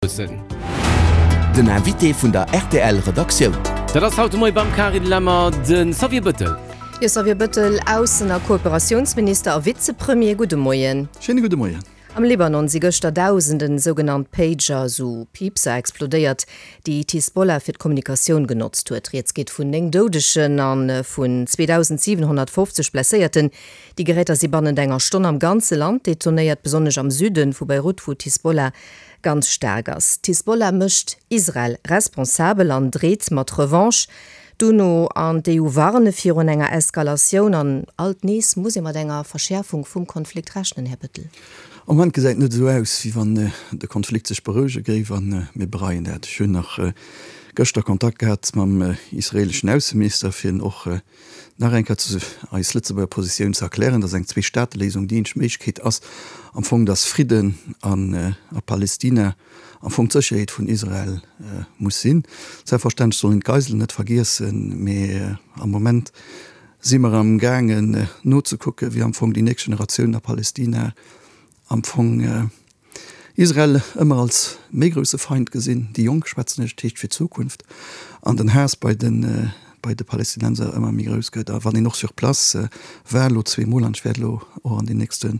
Loossen. Den Invité vun der rtl Redaktioun. Dat ass haut de Moie beim Carine Lemmer de Xavier Bëttel. Jo, Xavier Bëttel, Aussen a Kooperatiounsminister a Vizepremier, gudde Moien. Schéine gudde Moien. Am Libanon si gëschter Dausenden sougenannt Pager, sou Piipser, explodéiert, déi d'Hisbollah fir d'Kommunikatioun genotzt huet. Rieds geet vun 9 Doudegen a vun 2.750 Blesséierten. Déi Geräter si bannent enger Stonn am ganze Land detonéiert, besonnesch am Süde vu Beirut, wou d'Hisbollah ganz staark ass. D'Hisbollah mécht Israel responsabel an dreet mat Revanche. D'UNO an d'EU warne virun enger Eskalatioun an alt nees muss ee mat enger Verschäerfung vum Konflikt rechnen, Här Bettel. Am Moment gesäit et net esou aus, wéi wann de Konflikt sech berouege géif a mir bereien dat. Ech hunn nach gëschter Kontakt gehat mam israeleschen Ausseminister, fir en och Nach eng Kéier zu eis Lëtzebuerger Positioun ze erklären, dass eng Zweestaateléisung déi eenzeg Méiglechkeet ass am Fong, dass Fridden an a Palestina am Fong d'Sécherheet vun Israel muss sinn. Selbstverständlech soll een d'Geiselen net vergiessen, mee am Moment si mer am gaangen nozekucken, wéi am Fong déi nächst Generatioun a Palestina am Fong Israel ëmmer als méi grousse Feind gesinn, déi Jonk schwätzen ech, dat heescht fir d'Zukunft, an den Haass bei de bei de Palästinenser ëmmer méi grouss gëtt. A wann een och sur place war, elo zweemol, an ech wäert elo och an den nächste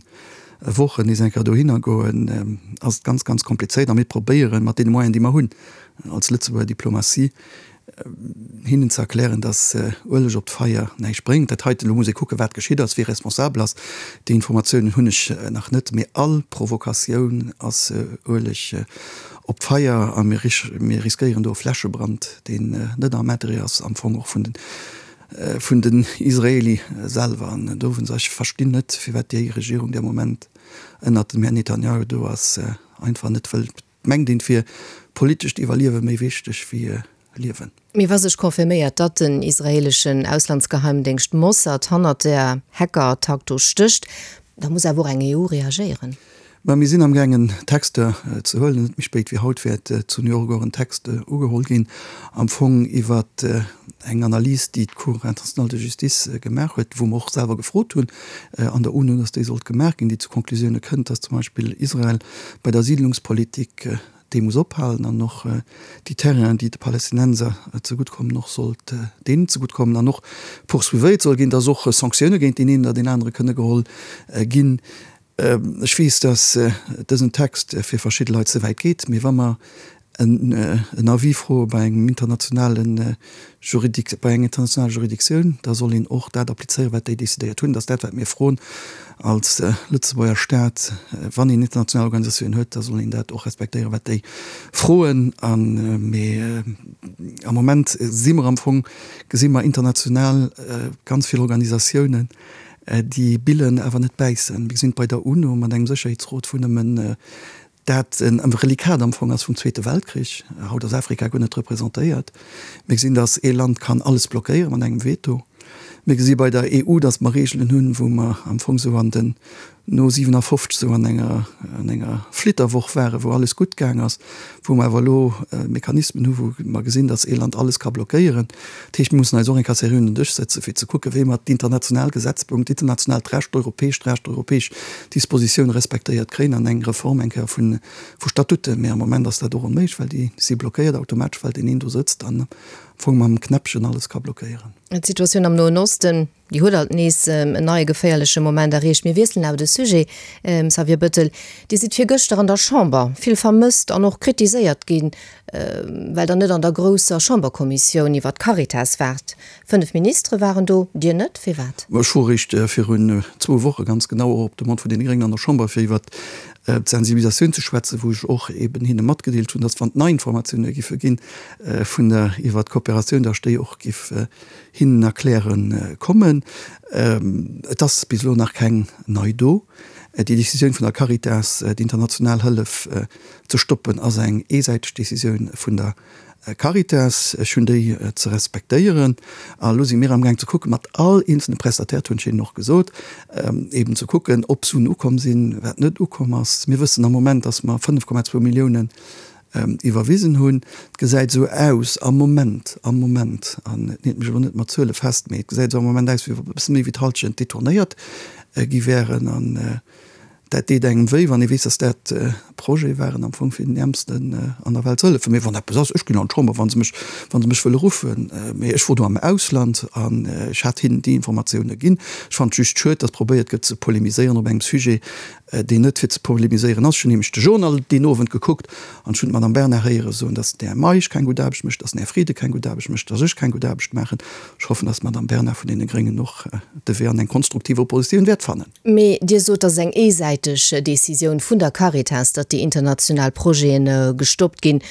Wochen nees eng Kéier dohinner goen, ass et ganz, ganz komplizéiert. A mir probéieren, mat deene Moyenen, déi mer hunn als Lëtzebuerger Diplomatie, hinnen ze erklären, dass Ueleg op d'Feier näischt bréngt. Dat heiten, elo muss ee kucken, wat geschitt ass, wie responsabel ass. Déi Informatiounen hunn ech nach net. Mee all Provokatioun ass Ueleg op d'Feier a mir riskéieren do e Flächebrand, deen net am Interêt ass am Fong och vun den, vun den Israeli selwer. An dowéinst, ech verstinn net, firwat déi Regierung, déi am Moment ënnert dem Här Netanjahu do ass, einfach net wëllt Mengt een, et wier politescht Iwwerliewe méi wichteg wéi Liewen? Mee wa sech confirméiert, datt den israeeleschen Auslandsgeheimdéngscht Mossad hannert der Hackerattack do stécht, da muss awer och eng EU reagéieren. Mä mir sinn amgaangen Texter ze huelen. Net méi spéit wéi haut wäert zu New York och en Text ugeholl ginn, am Fong iwwer eng Analys, déi d'Cour internationale de justice gemaach huet, wou mer och selwer gefrot hunn an der UNO, datt déi sollt gemaach ginn, déi zu Konklusioune kënnt, datt zum Beispill Israel bei der Siidlungspolitik déi muss ophalen an och déi Terrainen, déi de Palästinenser zegutt kommen, och sollt deenen zegutt kommen an och poursuivéiert soll ginn, dass och Sanktioune géint deen een oder deen anere kënne geholl ginn. Ech weess, dass dësen Text fir verschidde Leit ze wäit geet, mee wa mer en Avis froe bei engem internationale Juridic, bei enger internationaler Juridictioun, da soll een och dat applizéieren, wat déi decidéiert hunn. Dat ass dat, wat mir froen als Lëtzebuerger Staat. Wann een international Organisatiounen huet, da soll een dat och respektéieren, wat déi froen. A mee am Moment si mer am Fong, gesi mer international ganz vill Organisatiounen, déi billen, awer net bäissen. Mir gesinn et bei der UNO mat engem Sécherheetsrot, wou nëmmen dat en Reliquat am Fong ass vum Zweete Weltkrich. Haut ass Afrika guer net representéiert. Mir gesinn, datt ee Land kann alles blockéiere mat engem Veto. Mir gesi bei der EU, datt mer Reegelen hunn, wou mer am Fong esou an den, no 57 esou an enger, an enger Flitterwoch waren, wou alles gutt gaang ass, wou mer awer elo Mechanismen hu wou mer gesinn, datt ee Land alles ka blockéieren. Dat heescht, mir mussen eis och eng Kéier seriö un den Dësch sëtzen, fir ze kucken, wéi mer d'international Gesetzgebung, d'internationaalt Recht, d'europäescht Recht, d'europäesch Dispositioun respektéiert kréien an eng Reform eng Kéier vu Statuten. Mee am Moment ass dat och onméiglech, well déi si blockéiert automatesch, well deen een do sëtzt an am Fong mam Knäppchen alles ka blockéieren. D'Situatioun am Noen Osten, déi huet alt nees en neie geféierleche Moment erreecht. Mir wiesselen awer de Sujet, Xavier Bettel. Dir sidd virgëschter an der Chamber vill vermësst an och kritiséiert ginn, well Der net an der grousser Chamberkommissioun iwwer d'Caritas waart. 5 Ministere waren do, Dir net. Firwat? Ech wor eréischt virun zwou Woche ganz genau och op Demande vun deene Gréngen an der Chamber, fir iwwert d'Sensibilisatioun ze schwätzen, wou ech och eben hinne matgedeelt hunn, dass wann et nei Informatioune giffe ginn vun der iwwert d'Kooperatioun, dass ech déi och giff hinnen erkläre kommen. Et ass bis elo nach keng nei do. Déi Décisioun vun der Caritas, d'international Hëllef ze stoppen, ass eng eesäiteg Décisioun vun der Caritas, ech hunn déi ze respektéieren. A elo si mir amgaang ze kucken, mat all eenzelne Prestataire, dat hunn ech hinnen och gesot, eben ze kucken, ob Suen ukomm sinn, wat net ukomm ass. Mir wëssen am Moment, datt mer 5,2 Milliounen iwwerwisen hunn. Et gesäit esou aus am Moment, am Moment, an et neet mech elo net mat Zuele fest, mee et gesäit esou am Moment aus, wéi wa e bësse méi wéi d'Hallschent detournéiert gi wären. An. Dat deet engem wéi, wann ee weess, dass dat Projete waren am Fong fir den Äermsten an der Welt ze hëllefen. Mee wann eppes ass, ech ginn an d'Chamber, wa se mech, wa se mech wëlle ruffen. Mee ech wor do am Ausland an ech hat hinnen déi Informatioune ginn. Ech fannen et just schued, dass probéiert gëtt ze polemiséieren op engem Sujet, deen net fir ze polemiséieren ass. Ech hunn nämlech de Journal deen Owend gekuckt an ech hunn d'Madame Bernard héiere soen, dass den Här Meisch keng gutt Aarbecht mécht, dass den Här Frieden keng gutt Aarbecht mécht, dass ech keng gutt Aarbecht maachen. Ech hoffen, dass d'Madame Bernard vun deene Gréngen och de Wee an eng konstruktiv Oppositioun wäert fannen. Mee Dir sot, dat ass eng eesäiteg Decisioun vun der Caritas, datt déi international Projete gestoppt ginn.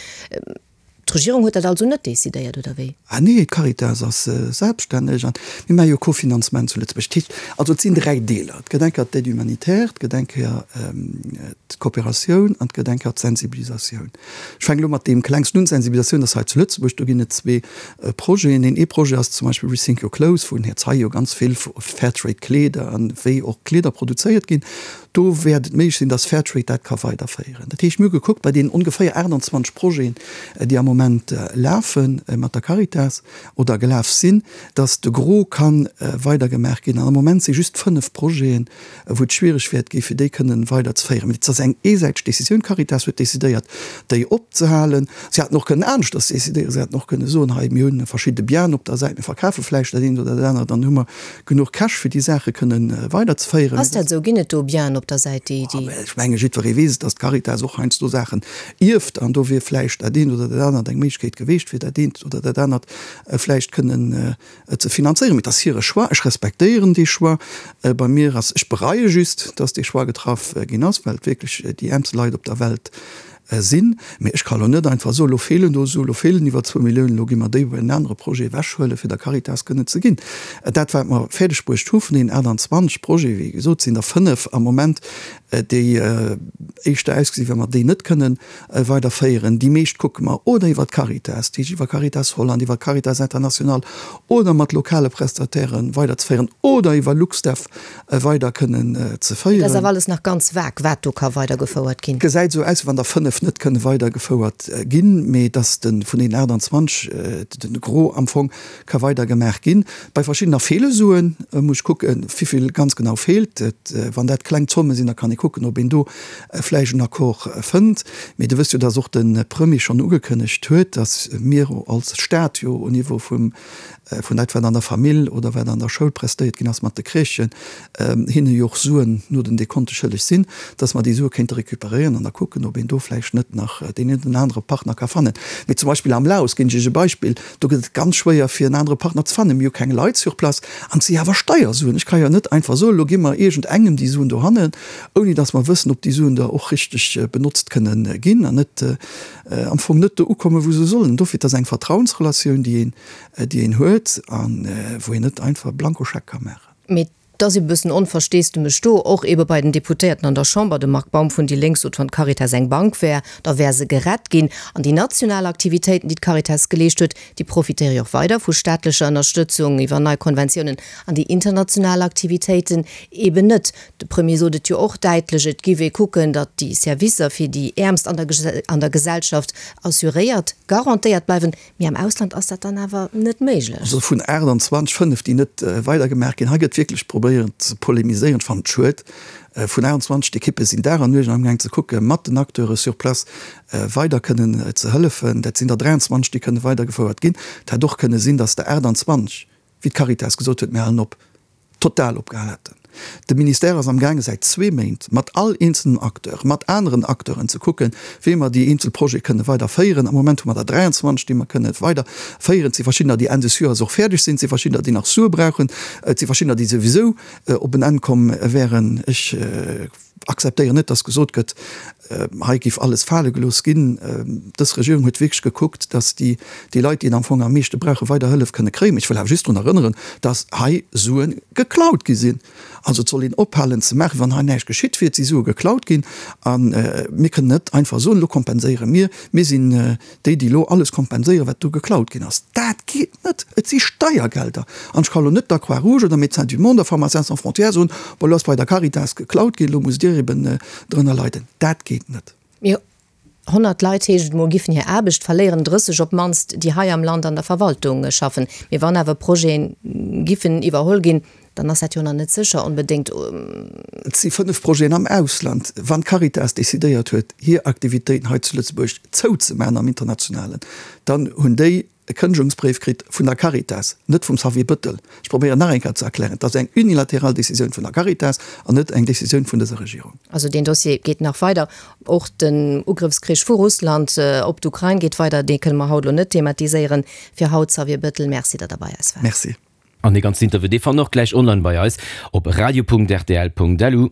D'Regierung huet dat also net decidéiert, oder wéi? Ah nee, d'Caritas ass selbststänneg an mir maache jo Cofinanzement zu Lëtzebuerg. Dat heescht also, et sinn 3 Deeler, Et gëtt eng Kéier d'Aide humanitaire, et gëtt eng Kéier d'Kooperatioun an et gëtt eng Kéier d'Sensibilisatioun. Ech fänken elo mat deem klengsten un, d'Sensibilisatioun ass hei zu Lëtzebuerg, do ginn et zwee Projeten. Deen ee Projet ass zum Beispill Rethink Your Clothes, wou den Här Zeil jo ganz vill vu Fairtrade Kleeder an wéi och Kleeder produzéiert ginn. Do wäert et méiglech sinn, dass Fairtrade dat ka weiderféieren. Dat heescht, mir hu gekuckt bei deenen ongeféier 28 Projeten, déi am Moment lafe mat der Caritas oder gelaf sinn, dass de Gros ka weidergemaach ginn. An am Moment si just fënnf Projeten, wou et schwiereg wäert gi fir déi kënnen weider ze féieren. Mee et ass eng eesäiteg Décisioun. D'Caritas huet décidéiert, déi opzehalen. Si hätten och kënnen aneschters décidéieren. Si hätten och kënnen soen, hei mir hunn verschidde Biaen op der Säit, mir verkafe vläicht dat eent oder dat anert, dann hu mer genuch Cash fir déi Saache kënnen weider ze féieren. Ass dat esou? Ginn et do Biaen op der Säit, déi, déi. Ech menge jiddweree weess et, datt d'Caritas och heiansdo Saachen ierft an do wier vläicht dat eent oder dat anert eng Méiglechkeet geweecht, fir dat eent oder dat anert vläicht kënnen ze finanzéieren. Mee et ass hire Choix, ech respektéieren dee Choix. Bei mir ass, ech bereie just, dass dee Choix getraff ginn ass, well et wierklech déi äermste Leit op der Welt sinn. Mee ech ka lo net einfach soen, elo feelen do esou, elo feelen iwwer zwou Milliounen, elo gi mer déi bei en anere Projet ewechhuelen, fir der Caritas kënnen ze ginn. Dat, wat mer fäerdeg bruecht hu vun deenen 28 Projeten, wéi gesot, sinn der fënnef am Moment, déi éischter ausgesinn, wéi wa mer déi net kënnen weiderféieren. Déi meescht kucke mer oder iwwer d'Caritas, dat heescht iwwer Caritas Holland, iwwer Caritas International oder mat lokale Prestataire weiderzeféieren oder iwwer LuxDev weider kënnen ze féieren. Et ass awer alles nach ganz vag, wat do ka weidergefouert ginn. Et gesäit esou aus, wéi wann der 5 net kënne weidergefouert ginn, mee datt de vun deenen 28 de Gros am Fong ka weider gemaach ginn. Bei verschiddener feele Suen, muss ech kucken, wivill ganz genau feelt. Wann dat kleng Zomme sinn, da kann ee kucken, ob een do vläicht en Accord fënnt. Mee Dir wësst jo, dass och de Premier schonn ugekënnegt huet, dass mir als Stat jo au Niveau vum, vun dat, wat an der Famill oder wat an der Schoul prestéiert ginn ass mat de Crèchen, hinne jo och Suen no den Dekonte schëlleg sinn, dass mer déi Sue kéinte recuperéieren an da kucken, ob een do vläicht net nach deen een oder anere Partner ka fannen. Mee zum Beispill am Laos, ginn ech Iech e Beispill, Do gëtt et ganz schwéier fir en anere Partner ze fannen. Mir hu keng Leit sur place an et si awer Steiersuen. Ech ka jo net einfach soen, elo gi mer iergend engem déi Suen dohannen, ouni datt mer wëssen, ob déi Suen da och richteg benotzt kënnen ginn an net am Fong net do ukommen, wou se sollen. Dofir, et ass eng Vertrauensrelatioun, déi een, déi een huet a wou een net einfach e Blankoscheck ka maachen. Mee Et ass e bëssen Onversteesdemech do, och ebe bei den Deputéierten an der Chamber. De Marc Baum vun déi Lénk sot, wann d'Caritas eng Bank wär, da wär se gerett ginn. An déi national Aktivitéiten, déi d'Caritas geleescht huet, déi profitéiere jo och weider vu staatlecher Ënnerstëtzung iwwer nei Konventiounen. An déi international Aktivitéiten eben net. De Premier sot et jo och däitlech, et giff ee kucken, datt déi Servicer fir déi Äermst an der Gesellschaft assuréiert, garantéiert bleiwen. Mee am Ausland ass dat dann awer net méiglech. Also vun 28, 5 déi net weidergemaach ginn. Hei gëtt wierklech probéiert ze polemiséieren. Ech fannen et schued. Vun 28, d'Ekippe sinn Dag an Nuecht amgaang ze kucken, mat den Acteure sur place weider kënnen ze hëllefen. Dat sinn der 23, déi kënne weidergefouert ginn. Et hätt och kënne sinn, datt der 28, wéi d'Caritas gesot huet, mir halen op. total opgehal hätten. De Ministère ass amgaange säit zwee Méint mat all eenzelnem Acteur, mat aneren Acteuren ze kucken, wéi mer déi eenzel Projete kënne weider féieren. Am Moment hu mer der 23, déi mer kënne weider féieren. Et si verschiddener, déi Enn des Joers och fäerdeg sinn. Et si verschiddener, déi nach Sue brauchen. Et si verschiddener, déi souwisou op en Enn komm wären. Ech. Akzeptéieren net, dass gesot gëtt, hei géif alles fale gelooss ginn. Dës Regierung huet wierklech gekuckt, dass déi déi Leit, déi et am Fong am meeschte brauchen, weider Hëllef kënne kréien. Mee ech wëll awer just drun erënneren, dass hei Sue geklaut gi sinn. Also et soll een ophalen ze maachen, wéi wann hei näischt geschitt wier. Et si Sue geklaut ginn a mir kënnen net einfach soen, elo kompenséiere mir, mir sinn Déi, déi elo alles kompenséieren, wat do geklaut ginn ass, dat geet net. Et si Steiergelder. An ech ka elo net der Croix-Rouge oder Médecins du Monde a Pharmaciens sans frontières soen, Bon, elo ass bei der Caritas geklaut ginn, elo musst Dir eben drënner leiden. Dat geet net. Mee 100 Leit, heescht et mol, giffen hir Aarbecht verléieren, 30 op d'mannst, déi hei am Land an der Verwaltung schaffen. Mee wann awer Projete giffen iwwerholl ginn. Dann ass dat jo nach net sécher onbedéngt. Et si 5 Projeten am Ausland. Wann d'Caritas decidéiert huet, hir Aktivitéiten hei zu Lëtzebuerg zouzemaachen am Internationalen, dann hunn déi e Kënnegungsbréif kritt vun der Caritas, net vum Xavier Bëttel. Ech probéieren nach eng Kéier ze erklären, et ass eng unilateral Décisioun vun der Caritas an net eng Décisioun vun dëser Regierung. Also deen Dossier geet nach weider. Och den Ugrëffskrich vu Russland op d'Ukrain geet weider. Dee kënne mer haut elo net thematiséieren. Fir haut, Xavier Bëttel, Merci, datt Der bei eis waart. Merci. An dee ganzen Interview, dee fannt Der och gläich online bei eis op radio.rtl.lu.